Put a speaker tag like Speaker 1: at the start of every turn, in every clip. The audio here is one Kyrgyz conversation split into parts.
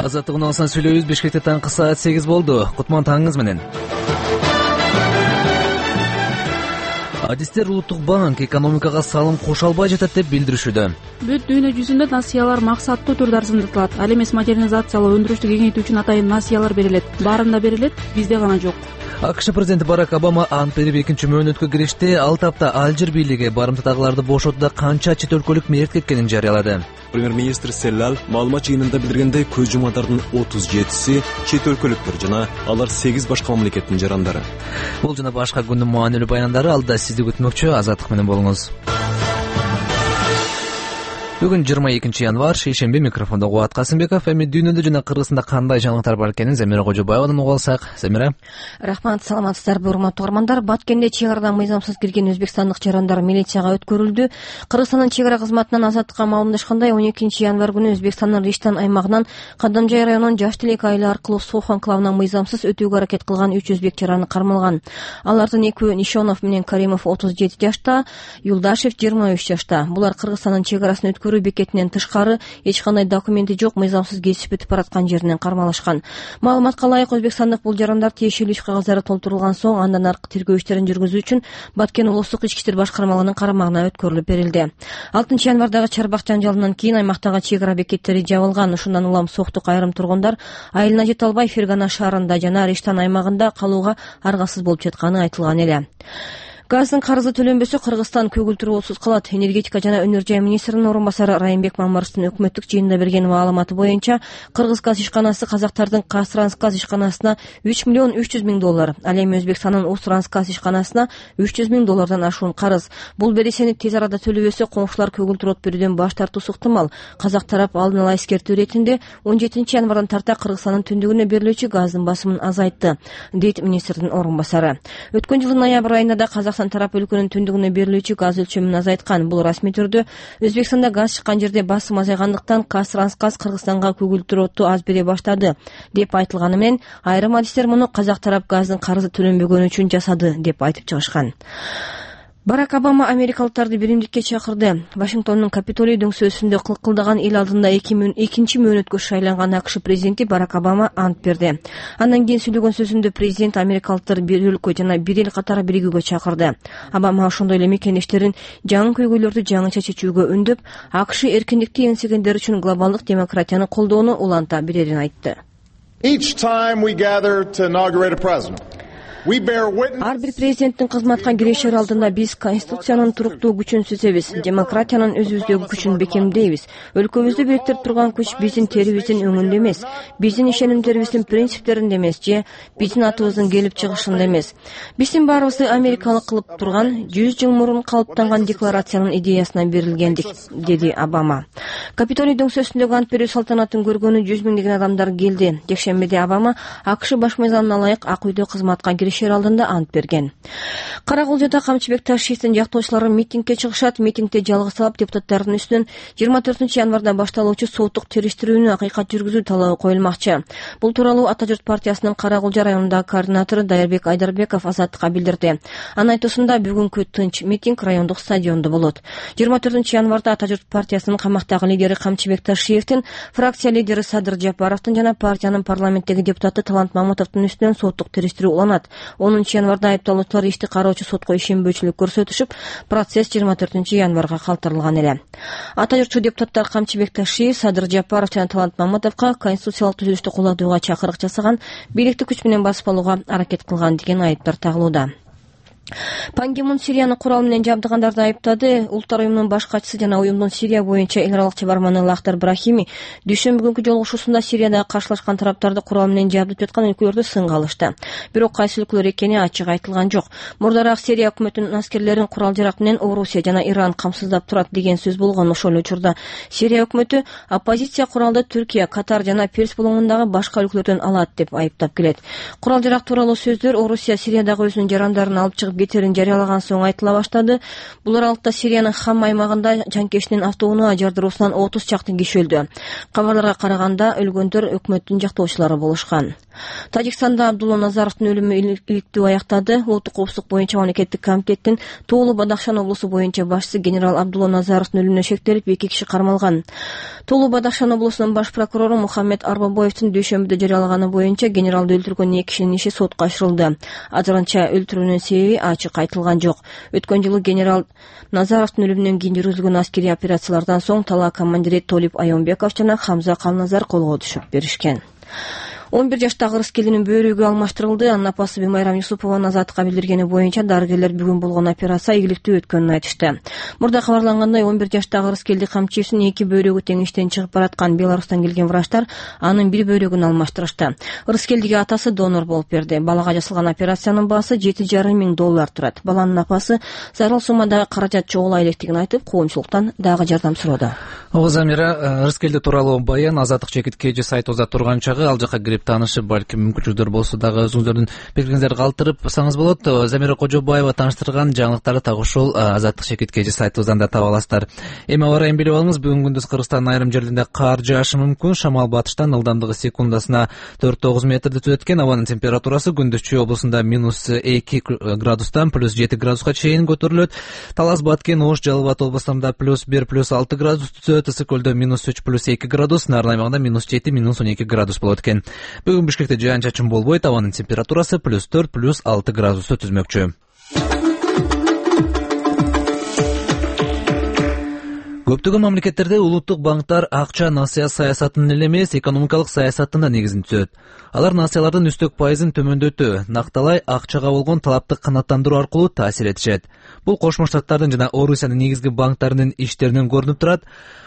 Speaker 1: Азаттык унаасынан сүйлөйбүз. Бишкекте таңкы саат 8 болду. Кутман таңыңыз менен. Адистер Улуттук банк экономикага салым кошо албай жатат деп билдиришүүдө.
Speaker 2: Бүт дүйнө жүзүндө насыялар максаттуу түрдө арзандатылат. Ал эмес модернизациялоо, өндүрүштү кеңейтүү үчүн атайын насыялар берилет. Баарында берилет, бизде гана жок.
Speaker 1: АКШ президенти Барак Обама ант берип экинчи мөөнөткө киришти. Ал тапта Алжир бийлиги барымтадагыларды бошотууда канча чет өлкөлүк мээрт кеткенин жарыялады.
Speaker 3: Премьер-министр Селлал маалымат жыйынында билдиргендей, көз жумадардын 37си чет өлкөлүктөр жана алар 8 башка мамлекеттин жарандары.
Speaker 1: Бул жана башка күндүн маанилүү баяндары алда сизди күтмөкчү. Азаттык менен болуңуз. Бүгүн 22 январь, шейшемби. Микрофондо Кубат Касымбеков. Эми дүйнөдө жана Кыргызстанда кандай жаңылыктар бар экенин Замира Кожобаевадан угуп алсак. Замира.
Speaker 4: Рахмат, саламатсыздарбы, урматтуу угармандар. Баткенде чек арадан мыйзамсыз кирген өзбекстандык жарандар милицияга өткөрүлдү. Кыргызстандын чек ара кызматынан азаттыкка маалымдашкандай, 12 январь күнү Өзбекстандын Риштан аймагынан Кадамжай районунун Жаш Тилек айылы аркылуу Сох анклавына мыйзамсыз өтүүгө аракет кылган 3 өзбек жараны кармалган. Алардын экөө Нишонов менен Каримов 37 жашта, Юлдашев 23 жашта. Булар Кыргызстандын чек арасын өткөрүү бекетинен тышкары эч кандай документи жок мыйзамсыз кесип өтүп бараткан жеринен кармалышкан. Маалыматка ылайык, Өзбекстандык бул жарандар тиешелүү иш кагыздары толтурулган соң андан аркы тергөө иштерин жүргүзүү үчүн Баткен облустук ички иштер башкармалыгынын карамагына өткөрүлүп берилди. 6 январдагы чарбак жанжалынан кийин аймактагы чек ара бекеттери жабылган. Ушундан улам Соктук айрым тургундар айылына жете албай Фергана шаарында жана Риштан аймагында калууга аргасыз болуп жатканы айтылган эле. Газдын карызы төлөнбөсө Кыргызстан көгүлтүрүүсүз калат. Энергетика жана өнөр жай министринин орун басары Райымбек Мамаровдун өкмөттүк жыйында берген маалыматы боюнча, Кыргыз газ ишканасы казактардын Казтрансгаз ишканасына $3 миллион 300 миң, ал эми Өзбекстандын Устрансгаз ишканасына $300 миң ашуун карыз. Бул бересени тез арада төлөбөсө коңшулар көгүлтүрөт берүүдөн баш тартуусу ыктымал. Казак тарап алдын ала эскертүү иретинде 17 январдан тарта Кыргызстандын түндүгүнө берилүүчү газдын басымын азайтты, дейт министрдин орун басары. Өткөн жылдын ноябрь айында да Казакстан тарап өлкөнүн түндүгүнө берилүүчү газ өлчөмүн азайткан. Бул расмий түрдө Өзбекстанда газ чыккан жерде басым азайгандыктан Казтрансгаз Кыргызстанга көгүлтүрөттү аз бере баштады деп айтылганы менен, айрым адистер муну казак тарап газдын карызы төлөнбөгөнү үчүн жасады деп айтып чыгышкан. Барак Обама америкалыктарды биримдикке чакырды. Вашингтондун Капитолий дөңсөөсүндө кылкылдаган эл алдында экинчи мөөнөткө шайланган АКШ президенти Барак Обама ант берди. Андан кийин сүйлөгөн сөзүндө президент америкалыктар бир өлкө жана бир эл катары биригүүгө чакырды. Обама ошондой эле мекендештерин жаңы көйгөйлөрдү жаңыча чечүүгө үндөп, АКШ эркиндикти эңсегендер үчүн глобалдык демократияны колдоону уланта берерин айтты. Ар бир президенттин кызматка киришер алдында биз Конституциянын туруктуу күчүн сүзөбүз, демократиянын өзүбүздөгү күчүн бекемдейбиз. Өлкөбүздү бириктирип турган күч биздин терибиздин өңүндө эмес, биздин ишенимдерибиздин принциптеринде эмес же биздин атыбыздын келип чыгышында эмес. Биздин баарыбызды америкалык кылып турган 100 жыл мурун калыптанган декларациянын идеясына берилгендик, деди Обама. Капитолий дөңсөөсүндөгү ант берүү салтанатын көргөнү 100 миңдеген адамдар келди. Жекшембиде Обама АКШ баш мыйзамына ылайык Ак үйдө кызматка шер алдында ант берген. Каракулжада Камчыбек Ташиевдин жактоочулары митингге чыгышат. Митингде жалгыз талап депутаттардын үстүнөн 24 январда башталуучу соттук териштирүүнү акыйкат жүргүзүү талабы коюлмакчы. Бул тууралуу Ата журт партиясынын Каракулжа районундагы координатору Дайырбек Айдарбеков Азаттыкка билдирди. Анын айтуусунда бүгүнкү тынч митинг райондук стадиондо болот. 24 январда Ата журт партиясынын камактагы лидери Камчыбек Ташиевдин, фракция лидери Садыр Жапаровдун жана партиянын парламенттеги депутаты Талант Мамутовдун үстүнөн соттук териштирүү уланат. 10 январда айыпталуучулар ишти кароочу сотко ишенбөөчүлүк көрсөтүшүп, процесс 24 январга калтырылган эле. Ата журтчу депутаттар Камчыбек Ташиев, Садыр Жапаров жана Талант Мамутовго конституциялык түзүлүштү колдоого чакырык жасаган, бийликти күч менен басып алууга аракет кылган деген айыптар тагылууда. Пан Ги Мун Сирияны курал менен жабдыгандарды айыптады. Улуттар уюмунун баш катчысы жана уюмдун Сирия боюнча эл аралык чыгарманы Лахтар Брахими дүйшөмбү күнкү жолугушуусунда Сириядагы каршылашкан тараптарды курал менен жабдып жаткан өлкөлөрдү сынга алышты. Бирок кайсы өлкөлөр экени ачык айтылган жок. Мурдараак Сирия өкмөтүнүн аскерлерин курал-жарак менен Орусия жана Иран камсыздап турат деген сөз болгон. Ошол учурда Сирия өкмөтү оппозиция куралды Түркия, Катар жана Перс булуңундагы башка өлкөлөрдөн алат деп айыптап келет. Курал-жарак тууралуу сөздөр Орусия Сириядагы өзүнүн жарандарын алып чыгып кетерин жарыялаган соң айтыла баштады. Бул аралыкта Сириянын Хам аймагында жанкештин автоунаа жардыруусунан 30 чакты киши өлдү. Кабарларга караганда өлгөндөр өкмөттүн жактоочулары болушкан. Тажикстанда Абдулла Назаровдун өлүмү иликтөө аяктады. Улуттук коопсуздук боюнча мамлекеттик комитеттин Тоолу Бадахшан облусу боюнча башчысы генерал Абдулла Назаровдун өлүмүнө шектелип 2 киши кармалган. Тулу Бадахшан облусунун баш прокурору Мухаммед Арбабоевдин дүйшөмбүдө жарыялаганы боюнча генералды өлтүргөн 2 кишинин иши сотко ачырылды. Азырынча өлтүрүүнүн себеби ачык айтылган жок. Өткөн жылы генерал Назаровдун өлүмүнөн кийин жүргүзүлгөн аскерий операциялардан соң тала командири Толип Айонбеков жана Хамза Калназар колго түшүп беришкен. 11 жаштагы Ырыскелдинин бөйрөгү алмаштырылды. Анын апасы Бимайрам Юсупованын Азаттыкка билдиргени боюнча дарыгерлер бүгүн болгон операция ийгиликтүү өткөнүн айтышты. Мурда кабарлангандай 11 жаштагы Ырыскелди камчыйсынын 2 бөйрөгү тең иштен чыгып бараткан Беларустан келген врачтар анын бир бөйрөгүн алмаштырышты. Ырыскелдиге атасы донор болуп берди. Балага жасалган операциянын баасы $7,5 миң турат. Баланын апасы зарыл суммада каражат чогула электигин айтып, коомчулуктан дагы жардам сурады.
Speaker 1: Ооба Замира, Ырыскелди тууралуу баян Азаттык чекит KG сайтыбызда турган чагы ал жака кирип таанышып, балким мүмкүнчүлүктөр болсо дагы өзүңүздөрдүн пикириңиздерди калтырыпсаңыз болот. Замира Кожобаева тааныштырган жаңылыктарды так ушул Азаттык чекит KG сайтыбыздан да таба аласыздар. Эми аба ырайын билип алыңыз. Бүгүн күндүз Кыргызстандын айрым жерлеринде кар жаашы мүмкүн. Шамал батыштан ылдамдыгы секундасына 4-9 метрди түзөт экен. Абанын температурасы күндүз Чүй облусунда -2 градустан +7 градуска чейин көтөрүлөт. Талас, Баткен, Ош, Жалал Абад областарында +1 +6 градус түзөт. Ысык көлдө -3 +2 градус, Нарын аймагында -7 -12 градус болот экен. Бүгүн Бишкекте жаан чачын болбойт. Абанын температурасы +4 +6 градусту түзмөкчү. Көптөгөн мамлекеттерде улуттук банктар акча насыя саясатынын эле эмес, экономикалык саясаттын да негизин түзөт. Алар насыялардын үстөк пайызын төмөндөтүү, накталай акчага болгон талапты канааттандыруу аркылуу таасир этишет. Бул Кошмо Штаттардын жана Орусиянын негизги банктарынын иштеринен көрүнүп турат.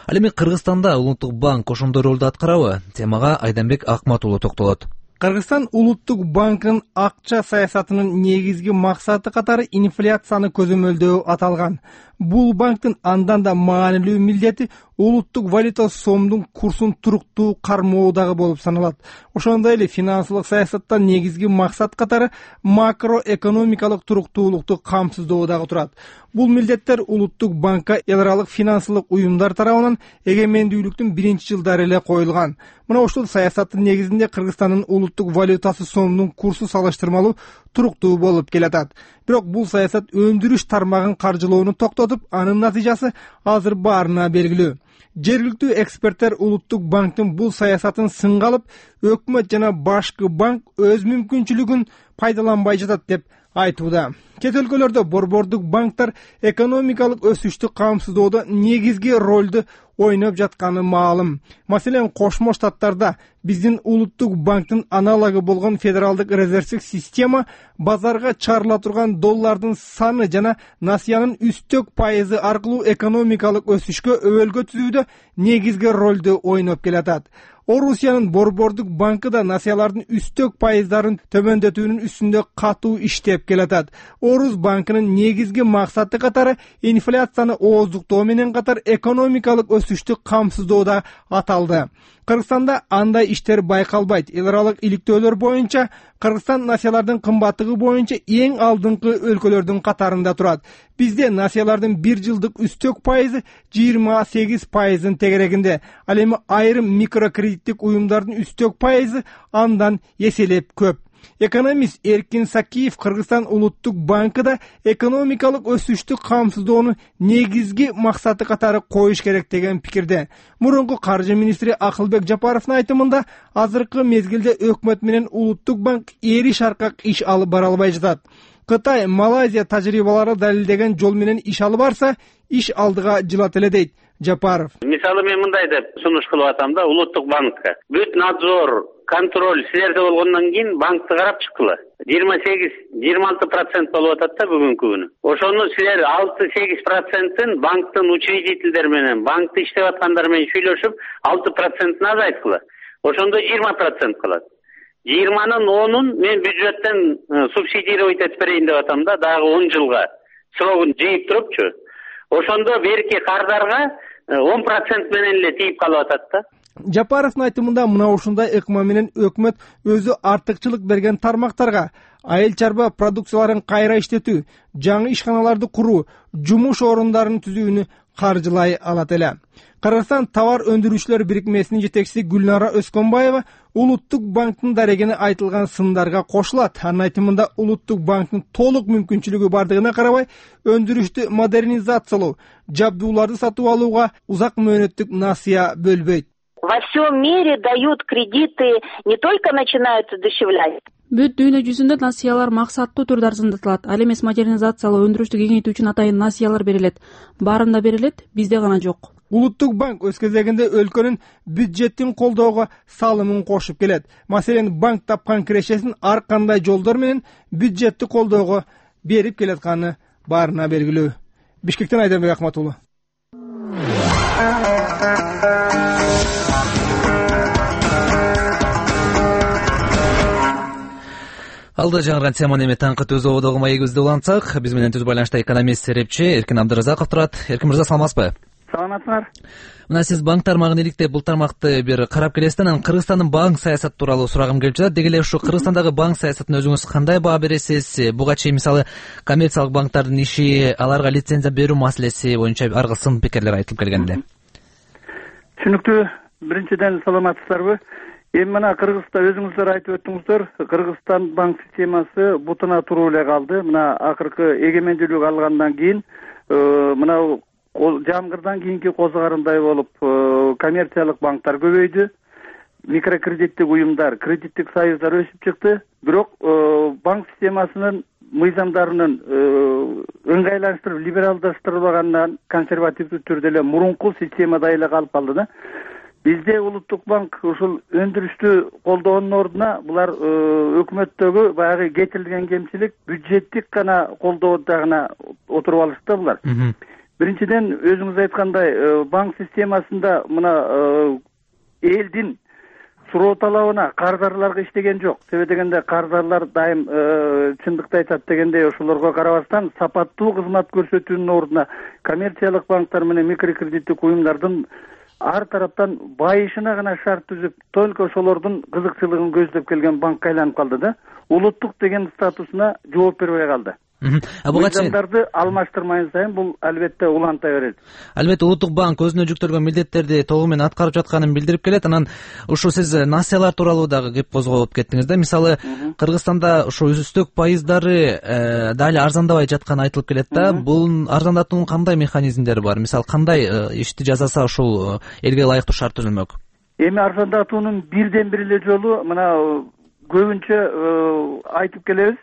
Speaker 1: Ал эми Кыргызстанда улуттук банк ошондой ролду аткарабы? Темага Айданбек Акмат уулу токтолот.
Speaker 5: Кыргызстан улуттук банкынын акча саясатынын негизги максаты катары инфляцияны көзөмөлдөө аталган. Бул банктын андан да маанилүү милдети улуттук валюта сомдун курсун туруктуу кармоо дагы болуп саналат. Ошондой эле финансылык саясаттан негизги максат катары макроэкономикалык туруктуулукту камсыздоо дагы турат. Бул милдеттер улуттук банкка эл аралык финансылык уюмдар тарабынан эгемендүүлүктүн биринчи жылдары эле коюлган. Мына ушул саясаттын негизинде Кыргызстандын улуттук валютасы сомдун курсу салыштырмалуу туруктуу болуп келатат. Бирок бул саясат өндүрүш тармагын каржылоону токтотуп, анын натыйжасы азыр баарына белгилүү. Жергиликтүү эксперттер улуттук банктын бул саясатын сынга алып, өкмөт жана башкы банк өз мүмкүнчүлүгүн пайдаланбай жатат деп айтууда. Чет өлкөлөрдө борбордук банктар экономикалык өсүштү камсыздоодо негизги ролду ойноп жатканы маалым. Маселен, Кошмо Штаттарда биздин улуттук банктын аналогу болгон федералдык резервдик система базарга чыгарыла турган доллардын саны жана насыянын үстөк пайызы аркылуу экономикалык өсүшкө өбөлгө түзүүдө негизги ролду ойноп келатат. Орусиянын борбордук банкы да насыялардын үстөк пайыздарын төмөндөтүүнүн үстүндө катуу иштеп келатат. Орус банкынын негизги максаты катары инфляцияны ооздуктоо менен катар экономикалык өсүштү камсыздоодо аталды. Кыргызстанда андай иштер байкалбайт. Эл аралык иликтөөлөр боюнча Кыргызстан насыялардын кымбаттыгы боюнча эң алдыңкы өлкөлөрдүн катарында турат. Бизде насыялардын бир жылдык үстөк пайызы 28% тегерегинде. Ал эми айрым микрокредиттик уюмдардын үстөк пайызы андан эселеп көп. Экономист Эркин Сакиев Кыргызстан улуттук банкы да экономикалык өсүштү камсыздоону негизги максаты катары коюш керек деген пикирде. Мурунку каржы министри Акылбек Жапаровдун айтымында азыркы мезгилде өкмөт менен улуттук банк эри шаркак иш алып бара албай жатат. Кытай, Малайзия тажрыйбалары далилдеген жол менен иш алып барса, иш алдыга жылат эле дейт Жапаров.
Speaker 6: Мисалы мен мындай деп сунуш кылып атам да, улуттук банкка бүт надзор, контроль силерде болгондон кийин банкты карап чыккыла. 28-26% болуп атат да бүгүнкү күнү. Ошону силер 6-8%-ын банктын учредителдери менен, банкты иштеп аткандар менен сүйлөшүп, 6%-ын азайткыла. Ошондо 20% калат. 20-нын 10-ун мен бюджеттен субсидировать этип берейин деп атам да, дагы 10 жылга срогун жыйып турупчу. Ошондо берки кардарга 10% менен эле тийип калып атат да.
Speaker 5: Жапаровдун айтымында мына ушундай ыкма менен өкмөт өзү артыкчылык берген тармактарга айыл чарба продукцияларын кайра иштетүү, жаңы ишканаларды куруу, жумуш орундарын түзүүнү каржылай алат эле. Кыргызстан товар өндүрүүчүлөр бирикмесинин жетекчиси Гүлнара Өскөнбаева Улуттук банктын дарегине айтылган сындарга кошулат. Анын айтымында Улуттук банктын толук мүмкүнчүлүгү бардыгына карабай, өндүрүштү модернизациялоо, жабдууларды сатып алууга узак мөөнөттүк насыя бөлбөйт.
Speaker 7: Во всем мире дают кредиты, не только начинают удешевлять.
Speaker 2: Бүт дүйнө жүзүндө насыялар максаттуу түрдө арзандатылат. Ал эмес модернизациялоо, өндүрүштү кеңейтүү үчүн атайын насыялар берилет. Баарында берилет, бизде гана жок.
Speaker 5: Улуттук банк өз кезегинде өлкөнүн бюджеттин колдоого салымын кошуп келет. Маселен, банк тапкан кирешесин ар кандай жолдор менен бюджетти колдоого берип келатканы баарына белгилүү. Бишкектен Айданбек Акмат уулу.
Speaker 1: Алда жаңырган теманы эми таңкы түз ободогу маегибизди улантсак, биз менен түз байланышта экономист серепчи Эркин Абдыразаков турат. Эркин мырза, саламатсызбы?
Speaker 8: Саламатсыңар.
Speaker 1: Мына сиз банк тармагын иликтеп, бул тармакты бир карап келесиз, анан Кыргызстандын банк саясаты тууралуу сурагым келип жатат. Деги эле ушу Кыргызстандагы банк саясатын өзүңүз кандай баа бересиз? Буга чейин мисалы коммерциялык банктардын иши, аларга лицензия берүү маселеси боюнча ар кыл сын пикирлер айтылып келген эле.
Speaker 8: Түшүнүктүү. Биринчиден саламатсыздарбы? Эми мына Кыргызстан, өзүңүздөр айтып өттүңүздөр, Кыргызстан банк системасы бутуна туруп эле калды. Мына акыркы эгемендүүлүк алгандан кийин мына жамгырдан кийинки козугарындай болуп коммерциялык банктар көбөйдү. Микрокредиттик уюмдар, кредиттик союздар өсүп чыкты. Бирок банк системасынын мыйзамдарынын ыңгайлаштырып, либералдаштырылбагандан консервативдүү түрдө эле мурунку системада эле калып калды да. Бизде Улуттук банк ушул өндүрүштү колдоонун ордуна булар өкмөттөгү баягы кетирилген кемчилик бюджеттик гана колдоодо гана отуруп алышты булар. Биринчиден, өзүңүз айткандай, банк системасында мына элдин суроо талабына кардарларга иштеген жок. Себеби дегенде кардарлар дайым чындыкты айтат дегенде ошолорго карабастан сапаттуу кызмат көрсөтүүнүн ордуна коммерциялык банктар менен микрокредиттик уюмдардын ар тараптан байышына гана шарт түзүп, только ошолордун кызыкчылыгын көздөп келген банкка айланып калды да. Улуттук деген статусуна жооп бербей калды.
Speaker 1: Буга чейин
Speaker 8: мыйзамдарды алмаштырмайын сайын бул албетте уланта берет.
Speaker 1: Албетте Улуттук банк өзүнө жүктөлгөн милдеттерди толугу менен аткарып жатканын билдирип келет. Анан ушу сиз насыялар тууралуу дагы кеп козгоп кеттиңиз да. Мисалы, Кыргызстанда ушу үстөк пайыздары дали арзандабай жатканы айтылып келет да. Бул арзандатуунун кандай механизмдери бар? Мисалы, кандай ишти жасаса ушул элге ылайыктуу шарт түзүлмөк?
Speaker 8: Эми арзандатуунун бирден бир эле жолу мына көбүнчө айтып келебиз.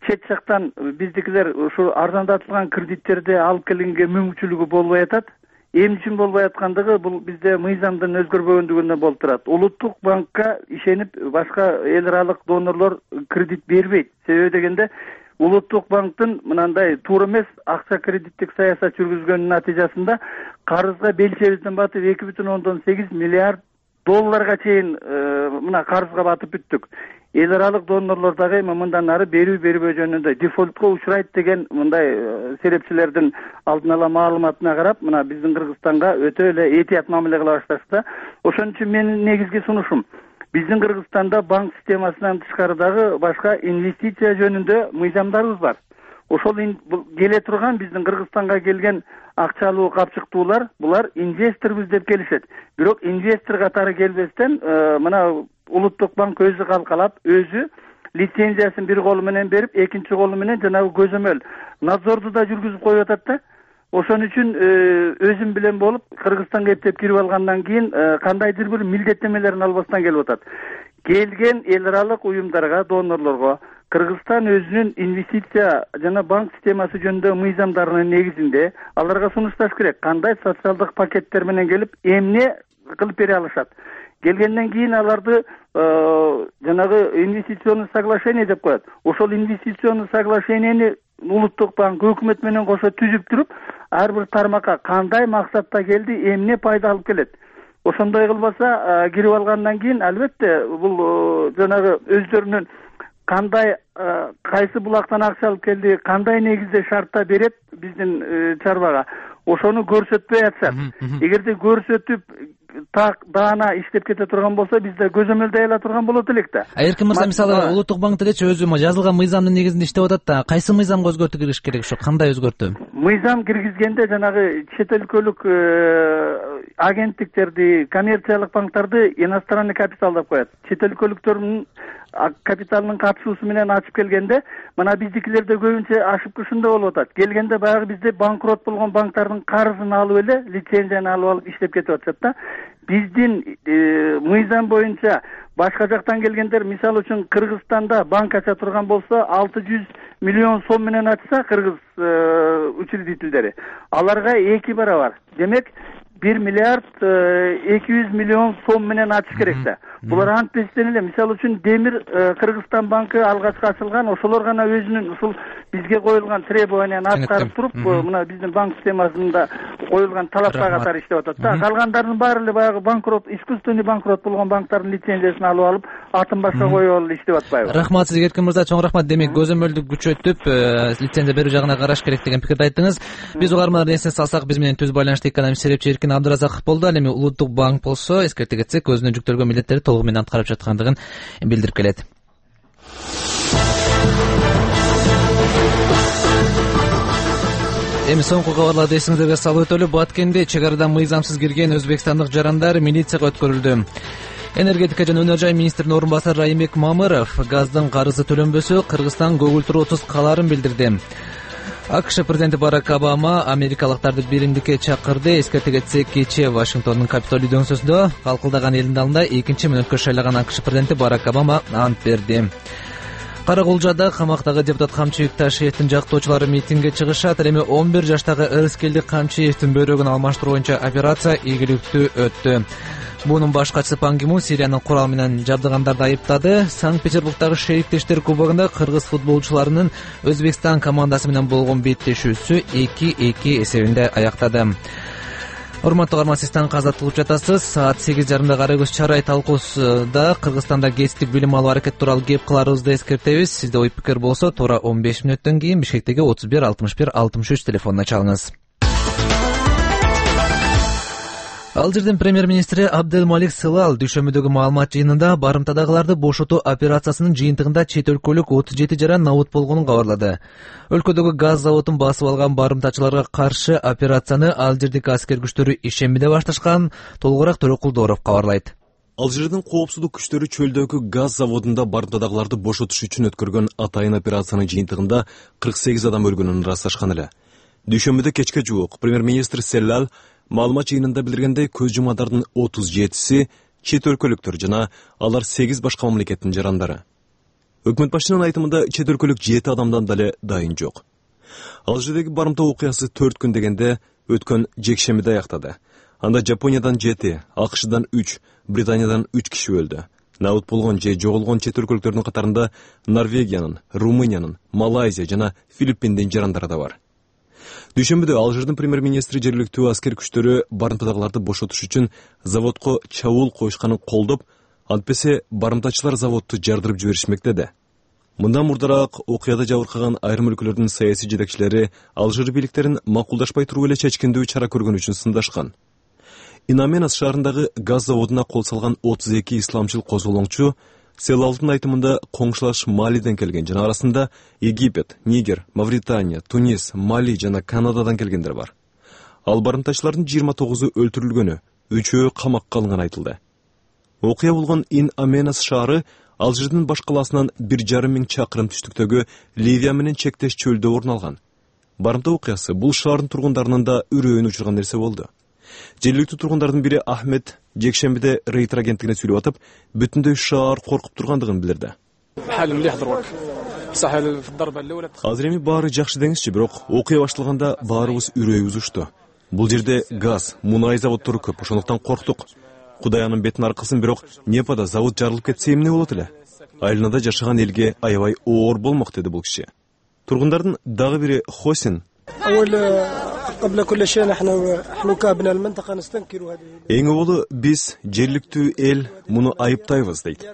Speaker 8: Чет жактан биздикилер ушу арзандатылган кредиттерди алып келгенге мүмкүнчүлүгү болбой атат. Эмне үчүн болбой аткандыгы бул бизде мыйзамдын өзгөрбөгөндүгүнөн болуп турат. Улуттук банкка ишенип башка эл аралык донорлор кредит бербейт. Себеби дегенде Улуттук банктын мынандай туура эмес акча кредиттик саясат жүргүзгөнүнүн натыйжасында карызга белчебизден батып 2,8 миллиард долларга чейин мына карызга батып бүттүк. Эл аралык донорлор дагы эми мындан ары берүү бербөө жөнүндө дефолтко учурайт деген мындай серепчилердин алдын ала маалыматына карап, мына биздин Кыргызстанга өтө эле этият мамиле кыла башташты. Ошон үчүн менин негизги сунушум биздин Кыргызстанда банк системасынан тышкары дагы башка инвестиция жөнүндө мыйзамдарыбыз бар. Ошол келе турган биздин Кыргызстанга келген акчалуу капчыктуулар булар инвесторбуз деп келишет. Бирок инвестор катары келбестен мына Улуттук банк өзү калкалап, өзү лицензиясын бир колу менен берип, экинчи колу менен жанагы көзөмөл надзорду да жүргүзүп коюп атат да. Ошон үчүн өзүм билен болуп, Кыргызстанга эптеп кирип алгандан кийин кандайдыр бир милдеттемелерин албастан келип атат. Келген эл аралык уюмдарга, донорлорго Кыргызстан өзүнүн инвестиция жана банк системасы жөнүндө мыйзамдарынын негизинде аларга сунушташ керек. Кандай социалдык пакеттер менен келип, эмне кылып бере алышат. Келгенден кийин аларды жанагы инвестиционный соглашение деп коет. Ошол инвестиционный соглашениени Улуттук банк өкмөт менен кошо түзүп туруп, ар бир тармакка кандай максатта келди, эмне пайда алып келет. Ошондой кылбаса, кирип алгандан кийин албетте бул жанагы өздөрүнүн кандай кайсы булактан акча алып келди, кандай негизде шартта берет биздин чарбага, ошону көрсөтпөй атышат. Эгерде көрсөтүп так даана иштеп кете турган болсо бизде көзөмөлдөй ала турган болот элек да.
Speaker 1: Эркин мырза, мисалы Улуттук банк делечи өзү жазылган мыйзамдын негизинде иштеп атат да, кайсы мыйзамга өзгөртүү киргизиш керек ошо, кандай өзгөртүү?
Speaker 8: Мыйзам киргизгенде жанагы чет өлкөлүк агенттиктерди, коммерциялык банктарды иностранный капитал деп коет. Чет өлкөлүктөрдүн капиталынын катышуусу менен ачып келгенде, мына биздикилерде көбүнчө ошибка ушундай болуп атат. Келгенде баягы бизде банкрот болгон банктардын карызын алып эле, лицензияны алып иштеп кетип атышат да. Биздин мыйзам боюнча башка жактан келгендер, мисалы үчүн Кыргызстанда банк ача турган болсо 600 миллион сом менен ачса кыргыз учредительдери, аларга 2 барабар. Демек 1 миллиард 200 миллион сом менен ачыш керек да. Булар антпестен эле, мисалы үчүн Демир Кыргызстан банкы алгачкы ачылган, ошолор гана өзүнүн ушул бизге коюлган требованияны аткарып туруп, мына биздин банк системасында коюлган талапка катары иштеп атат да. Калгандардын баары эле баягы банкрот, искусственный банкрот болгон банктардын лицензиясын алып атын башка коюп алып иштеп атпайбы?
Speaker 1: Рахмат сизге, Эркин мырза, чоң рахмат. Демек көзөмөлдү күчөтүп, лицензия берүү жагына караш керек деген пикирди айттыңыз. Биз угармандар эсине салсак, биз менен түз байланышта экономист серепчи Эркин Абдыразаков болду. Ал эми Улуттук банк болсо, эскерте кетсек, өзүнө жүктөлгөн милдеттерди толугу менен аткарып жаткандыгын билдирип келет. Эми соңку кабарларды эсиңизерге салып өтөлү. Баткенде чек арадан мыйзамсыз кирген өзбекстандык жарандар милицияга өткөрүлдү. Энергетика жана өнөр жай министринин орун басары Раймек Мамыров газдын карызы төлөнбөсө Кыргызстан көгүлтүрүү отуз калаарын билдирди. АКШ президенти Барак Обама америкалыктарды биримдикке чакырды. Эскерте кетсек, кечээ Вашингтондун Капитолий дөңсөсүндө калкылдаган элдин алдында 2-мүнөткө шайлаган АКШ президенти Барак Обама ант берди. Каракулжада камактагы депутат Камчыбек Ташиевдин жактоочулары митингге чыгышат. Эми 11 жаштагы Ырыскелди Камчиевдин бөйрөгүн алмаштыруу боюнча операция ийгиликтүү өттү. Бунун башкачысы Пан Ги Мун Сириянын курал менен жабдыгандарды айыптады. Санкт-Петербургдагы Шериктештер кубогунда кыргыз футболчуларынын Өзбекстан командасы менен болгон беттешүүсү 2-2 эсебинде аяктады. Урматтуу угарман, сиз таң казатылып жатасыз. Саат 8:30 Кара көз чарай талкуусунда Кыргызстанда кесиптик билим алуу аракети тууралуу кеп кыларыбызды эскертебиз. Сизде ой пикир болсо, туура 15 мүнөттөн кийин Бишкектеги 31 61 63 телефонуна чалыңыз. Алжирдин премьер-министри Абделмалик Сылал дүйшөмбүдөгү маалымат жыйынында барымтадагыларды бошотуу операциясынын жыйынтыгында чет өлкөлүк 37 жаран набут болгонун кабарлады. Өлкөдөгү газ заводун басып алган барымтачыларга каршы операцияны алжирдик аскер күчтөрү ишембиде башташкан. Толугураак Төрөкулдоров кабарлайт.
Speaker 3: Алжирдин коопсуздук күчтөрү чөлдөгү газ заводунда барымтадагыларды бошотуш үчүн өткөргөн атайын операциянын жыйынтыгында 48 адам өлгөнүн ырасташкан эле. Дүйшөмбүдө кечке жуук премьер-министр Селлал маалымат жыйынында билдиргендей, көз жумадардын 37-си чет өлкөлүктөр жана алар 8 башка мамлекеттин жарандары. Өкмөт башчынын айтымында чет өлкөлүк 7 адамдан дале дайын жок. Алжирдеги барымта окуясы 4 күн дегенде өткөн жекшембиде аяктады. Анда Жапониядан 7, АКШдан 3, Британиядан 3 киши өлдү. Набут болгон же жоголгон чет өлкөлүктөрдүн катарында Норвегиянын, Румыниянын, Малайзия жана Филиппиндин жарандары да бар. Дүйшөмбүдө Алжирдин премьер-министри жергиликтүү аскер күчтөрү барымтадагыларды бошотуш үчүн заводко чабуул коюшканын колдоп, антпесе барымтачылар заводду жардырып жиберишмек деди. Мындан мурдараак окуяда жабыркаган айрым өлкөлөрдүн саясий жетекчилери Алжир бийликтерин макулдашпай туруп эле чечкиндүү чара көргөн үчүн сындашкан. Инаменас шаарындагы газ заводуна кол салган 32 исламчыл козголоңчу Селалдын айтымында коңшулаш Малиден келген жана арасында Египет, Нигер, Мавритания, Тунис, Мали жана Канададан келгендер бар. Ал барымтачылардын 29-у өлтүрүлгөнү, 3-өө камакка алынганы айтылды. Окуя болгон Ин-Аменас шаары Алжирдин баш калаасынан 1,5 миң чакырым түштүктөгү Ливия менен чектеш чөлдө орун алган. Барымта окуясы бул шаардын тургундарынын да үрөйүн учурган нерсе болду. Жергиликтүү тургундардын бири Ахмед жекшембиде Рейтер агенттигине сүйлөп атып, бүтүндөй шаар коркуп тургандыгын билдирди. Азыр эми баары жакшы деңизчи, бирок окуя башталганда баарыбыз үрөйүбүз учту. Бул жерде газ, мунай заводдору көп, ошондуктан корктук. Кудай анын бетин аркылсын, бирок Непада завод жарылып кетсе эмне болот эле? Айланада жашаган элге аябай оор болмок, деди бул киши. Тургундардын дагы бири Хосин эң оболу биз жергиликтүү эл муну айыптайбыз дейт.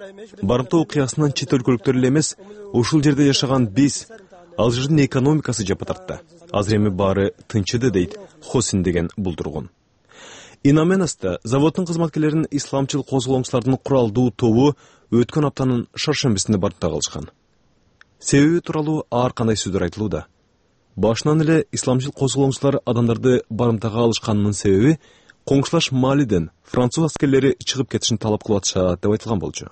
Speaker 3: Барымта окуясынан чет өлкөлүктөр эле эмес, ушул жерде жашаган биз Алжирдин экономикасы жапа тартты. Азыр эми баары тынчыды дейт Хосин деген бул тургун. Инаменаста заводдун кызматкерлерин исламчыл козголоңчулардын куралдуу тобу өткөн аптанын шаршембисинде барымтага алышкан. Себеби тууралуу ар кандай сөздөр айтылууда. Башынан эле исламчыл козголоңчулар адамдарды барымтага алышканынын себеби коңшулаш Малиден француз аскерлери чыгып кетишин талап кылып атышат деп айтылган болчу.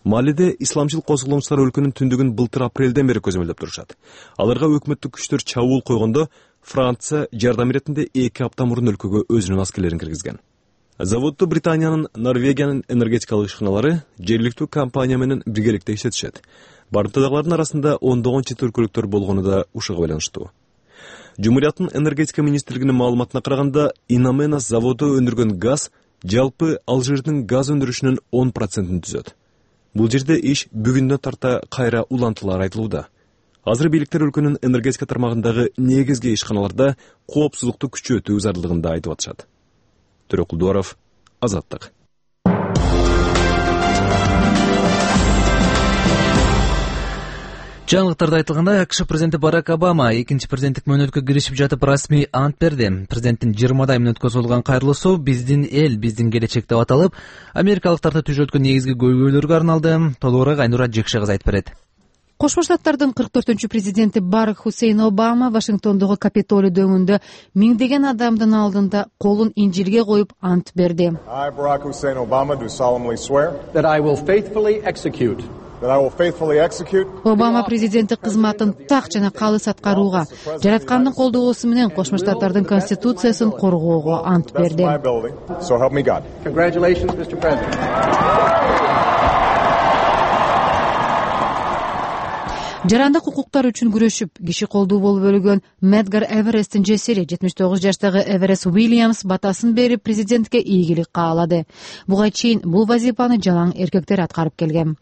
Speaker 3: Малиде исламчыл козголоңчулар өлкөнүн түндүгүн былтыр апрелден бери көзөмөлдөп турушат. Аларга өкмөттүк күчтөр чабуул койгондо Франция жардам иретинде 2 апта мурун өлкөгө өзүнүн аскерлерин киргизген. Заводду Британиянын, Норвегиянын энергетикалык ишканалары жергиликтүү компания менен биргеликте иштетишет. Барымтадагылардын арасында ондогон чет өлкөлүктөр болгону да ушуга байланыштуу. Жумурияттын энергетика министрлигинин маалыматына караганда, Инаменас заводу өндүргөн газ жалпы Алжирдин газ өндүрүшүнүн 10% түзөт. Бул жерде иш бүгүндөн тарта кайра улантылар айтылууда. Азыр бийликтер өлкөнүн энергетика тармагындагы негизги ишканаларда коопсуздукту күчөтүү зарылдыгында айтып атышат. Төрөкулдуаров, Азаттык.
Speaker 1: Жаңылыктарда айтылгандай, АКШ президенти Барак Обама экинчи президенттик мөөнөткө киришип жатып расмий ант берди. Президенттин 20 мөөнөткө созулган кайрылуусу «Биздин эл, биздин келечек» деп аталып, америкалыктарды түшөткөн негизги көйгөйлөргө арналды. Толугураак Айнура Жекше кызы айтып берет.
Speaker 9: Кошмо Штаттардын 44-президенти Барак Хусейн Обама Вашингтондогу Капитолий дөңүндө миңдеген адамдын алдында колун инжилге коюп ант берди.
Speaker 10: I, Barack Hussein Obama, do solemnly swear
Speaker 11: that I will faithfully execute
Speaker 9: Обама президенттик кызматын так жана калыс аткарууга, жараткандын колдоосу менен Кошмо Штаттардын конституциясын коргоого ант берди.
Speaker 11: Congratulations, Mr. President.
Speaker 9: Жарандык укуктар үчүн күрөшүп, киши колдуу болуп өлгөн Медгар Эвересттин жесири 79 жаштагы Эверест Уильямс батасын берип президентке ийгилик каалады. Буга чейин бул вазифаны жалаң эркектер аткарып келген.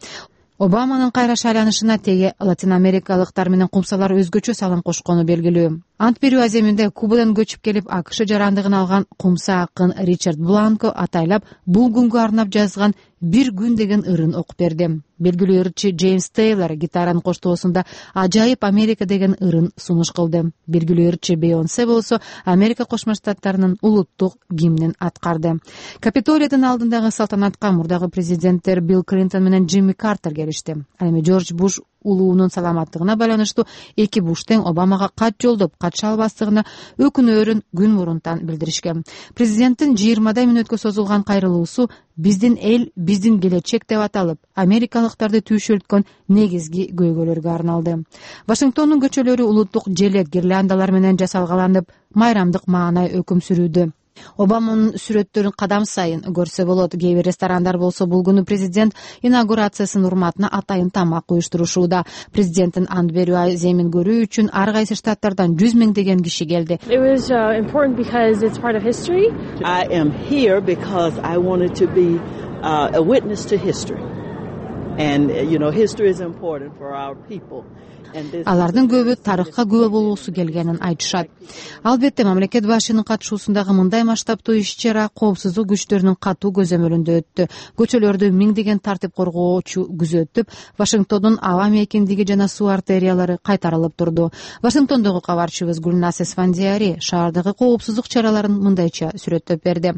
Speaker 9: Обаманын кайра шайланышына теге латин америкалыктар менен кумсалар өзгөчө салым кошкону белгилүү. Ант берүү аземинде Кубадан көчүп келип АКШ жарандыгын алган кумса акын Ричард Бланко атайлап бул күнгө арнап жазган «Бир күн» деген ырын окуп берди. Белгилүү ырчы Джеймс Тейлор гитаранын коштоосунда «Ажайып Америка» деген ырын сунуш кылды. Белгилүү ырчы Бейонсе болсо Америка Кошмо Штаттарынын улуттук гимнин аткарды. Капитолийдин алдындагы салтанатка мурдагы президенттер Билл Клинтон менен Джимми Картер келишти. Ал эми Джордж Буш улуунун саламаттыгына байланыштуу эки Буш тең Обамага кат жолдоп, катыша албастыгына өкүнөөрүн күн мурунтан билдиришкен. Президенттин 20 мүнөткө созулган кайрылуусу «Биздин эл, биздин келечек» деп аталып, америкалыктарды түйшөлткөн негизги көйгөйлөргө арналды. Вашингтондун көчөлөрү улуттук желек гирляндалар менен жасалгаланып, майрамдык маанай өкүм сүрүүдө. Обаманын сүрөттөрүн кадам сайын көрсө болот. Кээ бир ресторандар болсо бул күнү президент инаугурациясынын урматына атайын тамак уюштурушууда. Президенттин ант берүү аземин көрүү үчүн ар кайсы штаттардан 100 миңдеген киши келди.
Speaker 12: It was important because it's part of history.
Speaker 13: I am here because I wanted to be a witness to history. And history is important for our people.
Speaker 9: Алардын көбү тарыхка күбө болуусу келгенин айтышат. Албетте мамлекет башчынын катышуусундагы мындай масштабтуу иш-чара коопсуздук күчтөрүнүн катуу көзөмөлүндө өттү. Көчөлөрдү миңдеген тартип коргоочу күзөтүп, Вашингтондун аба мейкиндиги жана суу артериялары кайтарылып турду. Вашингтондогу кабарчыбыз Гүлнас Эсфандияри шаардагы коопсуздук чараларын мындайча сүрөттөп берди.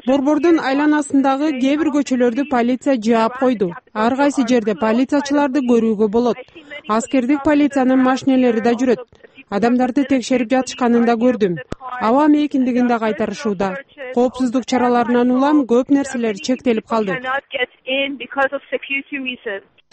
Speaker 14: Борбордун айланасындагы кээ бир көчөлөрдү полиция жаап койду. Ар кайсы жерде полициячыларды көрүүгө болот. Аскердик полициянын машинелери да жүрөт. Адамдарды текшерип жатышканын да көрдүм. Аба мейкиндигин да кайтарышууда. Коопсуздук чараларынан улам көп нерселер чектелип калды.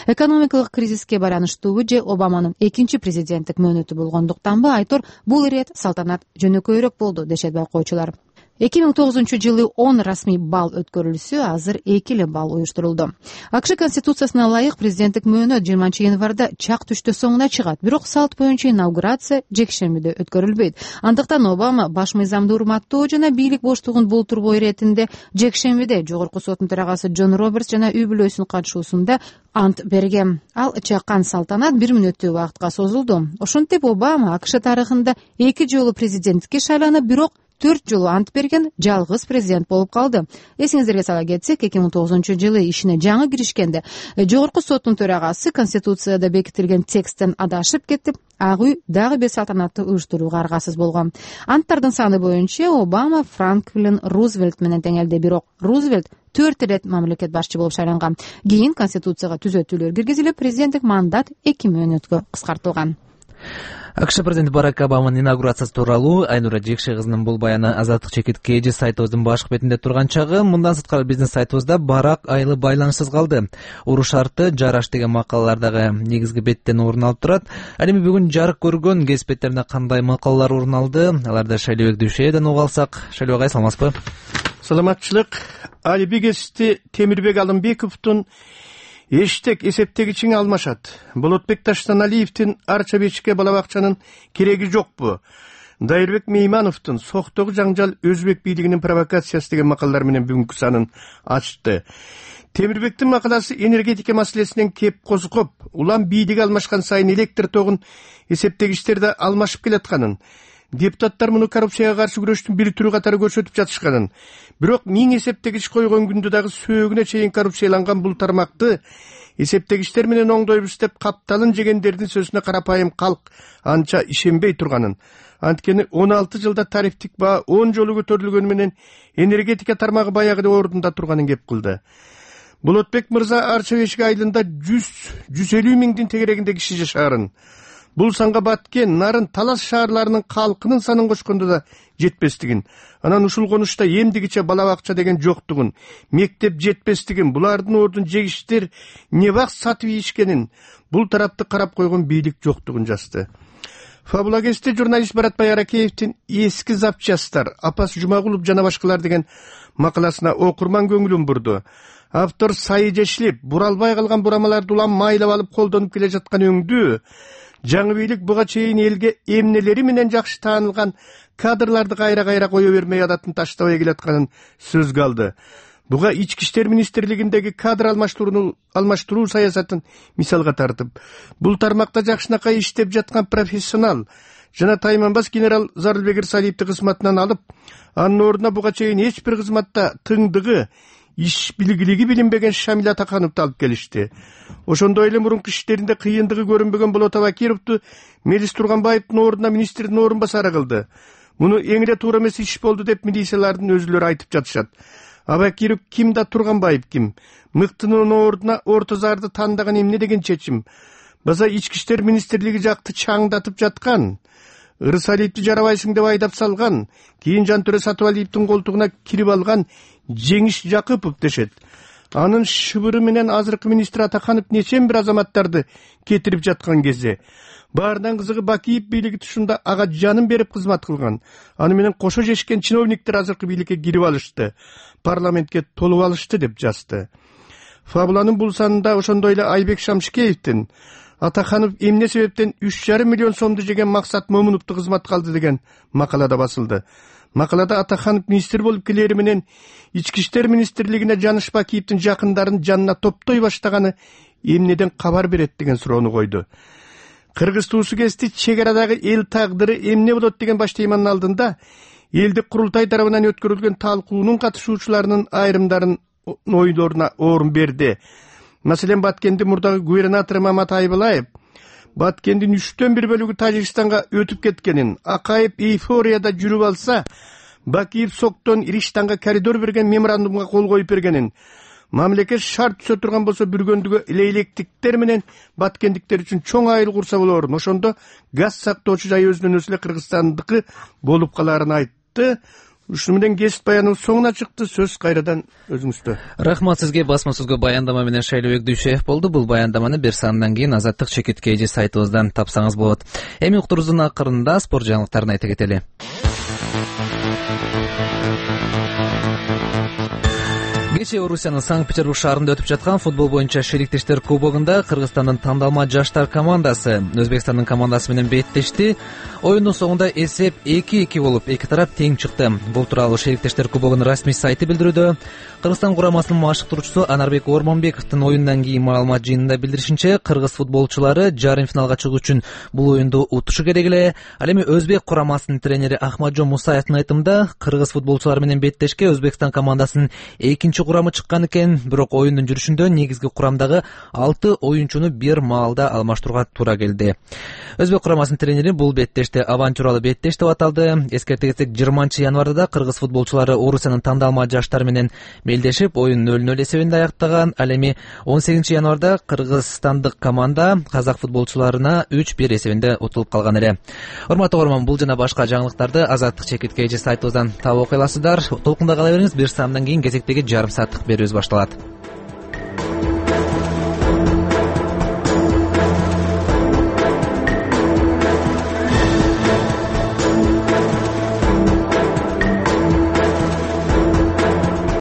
Speaker 9: Экономикалык кризиске байланыштуубу же Обаманын экинчи президенттик мөөнөтү болгондуктанбы айтор бул ирет салтанат жөнөкөйрөөк болду дешет байкоочулар. 2009-жылы 10 расмий бал өткөрүлсө, азыр 2 бал уюштурулду. АКШ конституциясына ылайык президенттик мөөнөт 20 январда чак түштө соңуна чыгат. Бирок салт боюнча инаугурация жекшембиде өткөрүлбөйт. Андыктан Обама баш мыйзамды урматтоо жана бийлик боштугун болтурбоо иретинде жекшембиде жогорку соттун төрагасы Джон Робертс жана үй бүлөсүнүн катышуусунда ант берген. Ал чакан салтанат 1 мүнөттүү убакытка созулду. Ошентип Обама АКШ тарыхында 2 жолу президенттикке шайланып, бирок 4 жолу ант берген жалгыз президент болуп калды. Эсиңиздерге сала кетсек, 2009-жылы ишине жаңы киришкенде жогорку соттун төрагасы Конституцияда бекитилген тексттен адашып кетип, Ак үй дагы бир салтанаттуу уюштурууга аргасыз болгон. Анттардын саны боюнча Обама Франклин Рузвельт менен теңелди, бирок Рузвельт 4 ирет мамлекет башчы болуп шайланган. Кийин Конституцияга түзөтүүлөр киргизилип, президенттик мандат 2 мөөнөткө кыскартылган.
Speaker 1: АКШ президенти Барак Обаманын инаугурациясы тууралуу Айнура Жекше кызынын бул баяны Азаттык чекитке эже сайтыбыздын башкы бетинде турган чагы. Мындан сырткары биздин сайтыбызда барак айлы байланышсыз калды. Уруш шарты жараш деген макалалардагы негизги беттен орун алып турат. Ал эми бүгүн жарык көргөн кесип беттеринде кандай макалалар орун алды? Аларды Шайлообек Дүйшөйдөн угуп алсак. Шайлообек агай, саламатсызбы?
Speaker 15: Саламатчылык. Алиби кесипти Темирбек Алымбековдун эштек эсептегичине алмашат. Болотбек Таштаналиевдин арча бечикке бала бакчанын кереги жокпу? Дайырбек Меймановдун соктогу жаңжал өзбек бийлигинин провокациясы деген макалалар менен бүгүнкү санын ачты. Темирбектин макаласы энергетика маселесинен кеп козгоп, улам бийлиги алмашкан сайын электр тогун эсептегичтерде алмашып келатканын, депутаттар муну коррупцияга каршы күрөштүн бир түрү катары көрсөтүп жатышканын, бирок 1000 эсептегич койгон күндө дагы сөөгүнө чейин коррупцияланган бул тармакты эсептегичтер менен оңдойбуз деп капталын жегендердин сөзүнө карапайым калк анча ишенбей турганын. Анткени 16 жылда тарифтик баа 10 жолу көтөрүлгөнү менен энергетика тармагы баягыдай ордунда турганын кеп кылды. Болотбек мырза арча бешик айылында 100-150 миңдин тегерегинде киши жашаарын. Бул санга Баткен, Нарын, Талас шаарларынын калкынын санын кошкондо да жетпестигин, анан ушул конушта эмдигиче бала бакча деген жоктугун, мектеп жетпестигин, булардын ордун жегиштер не бак сатып ийишкенин, бул тарапты карап койгон бийлик жоктугун жазды. Фабулагесте журналист Баратбай Аракеевдин эски запчастар, Апас Жумагулов жана башкалар деген макаласына окурман көңүлүн бурду. Автор сайы жешилип, буралбай калган бурамаларды улам майлап алып колдонуп келе жаткан өңдүү, жаңы бийлик буга чейин элге эмнелери менен жакшы таанылган кадрларды кайра кое бермей адатын таштабай келатканын сөзгө алды. Буга Ички иштер министрлигиндеги кадр алмаштыруу саясатын мисалга тартып, бул тармакта жакшынакай иштеп жаткан профессионал жана тайманбас генерал Зарылбек Ирсалиевди кызматынан алып, анын ордуна буга чейин эч бир кызматта тыңдыгы, иш билгилиги билинбеген Шамил Атакановду алып келишти. Ошондой эле мурунку иштеринде кыйындыгы көрүнбөгөн Болот Абакировду Мелис Турганбаевдин ордуна министрдин орун басары кылды. Муну эң эле туура эмес иш болду деп милициялардын өзүлөрү айтып жатышат. Абакиров ким да Турганбаев ким? Мыктынын ордуна Ортозарды тандаган эмне деген чечим? База Ички иштер министрлиги жакты чаңдатып жаткан. Ырсалиевди жарабайсың деп айдап салган, кийин Жантөре Сатыбалиевдин колтугуна кирип алган Жеңиш Жакыпов дешет. Анын шыбыры менен азыркы министр Атаканов нечен бир азаматтарды кетирип жаткан кезде. Баарынан кызыгы Бакиев бийлиги тушунда ага жанын берип кызмат кылган. Аны менен кошо жешкен чиновниктер азыркы бийликке кирип алышты, парламентке толуп алышты деп жазды. Фабуланын бул санында ошондой эле Айбек Шамшикеевдин Атаканов эмне себептен 3,5 миллион сомду жеген Максат Момуновду кызматка алды деген макалада басылды. Макалада Атаканов министр болуп келери менен Ички иштер министрлигине Жаныш Бакиевдин жакындарын жанына топтой баштаганы эмнеден кабар берет деген суроону койду. Кыргыз туусу кести чек арадагы эл тагдыры эмне болот деген баш теманын алдында элдик курултай тарабынан өткөрүлгөн талкуунун катышуучуларынын айрымдарын ойлоруна орун берди. Маселен, Баткендин мурдагы губернатору Мамат Айбалаев Баткендин 1/3 бөлүгү Тажикстанга өтүп кеткенин, Акаев эйфорияда жүрүп алса, Бакиев Соктон Ириштанга коридор берген меморандумга кол коюп бергенин, мамлекет шарт түзө турган болсо бүргөндүгү лейлектиктер менен баткендиктер үчүн чоң айыл курса болорун, ошондо газ сактоочу жай өзүнөн өзү эле Кыргызстандыкы болуп каларын айтты. Ушуну менен кесип баянын соңуна чыкты. Сөз кайрадан өзүңүздө.
Speaker 1: Рахмат сизге. Басма сөзгө баяндама менен Шайлообек Дүйшөев болду. Бул баяндаманы бир сандан кийин Азаттык чекитке эже сайтыбыздан тапсаңыз болот. Эми уктуруубуздун акырында спорт жаңылыктарын айта кетели. Кечээ Орусиянын Санкт-Петербург шаарында өтүп жаткан футбол боюнча шериктештер кубогунда Кыргызстандын тандалма жаштар командасы Өзбекстандын командасы менен беттешти. Оюндун соңунда эсеп 2-2 болуп, эки тарап тең чыкты. Бул тууралуу Шериктештер кубогунун расмий сайты билдирүүдө. Кыргызстан курамасынын машыктыруучусу Анарбек Ормонбековдун оюндан кийин маалымат жыйынында билдиришинче, кыргыз футболчулары жарым финалга чыгуу үчүн бул оюнду утушу керек эле. Ал эми өзбек курамасынын тренери Ахмаджон Мусаевдин айтымында, кыргыз футболчулары менен беттешке Өзбекстан командасынын экинчи курамы чыккан экен, бирок оюндун жүрүшүндө негизги курамдагы 6 оюнчуну бир маалда алмаштырууга туура келди. Өзбек курамасынын тренери бул беттеште авантюралуу беттеш деп аталды. Эскерте кетсек, 20-январда да кыргыз футболчулары Орусиянын тандалма жаштары менен белдешип, оюн 0-0 эсебинде аяктаган. Ал эми 18-январда кыргызстандык команда казак футболчуларына 3-1 эсебинде утулуп калган эле. Урматтуу көрөрман, бул жана башка жаңылыктарды Азаттык чекит KG сайтыбыздан таап окуй аласыздар. Толкунда кала бериңиз. Бир саамдан кийин кезектеги жарым сааттык берүүбүз башталат.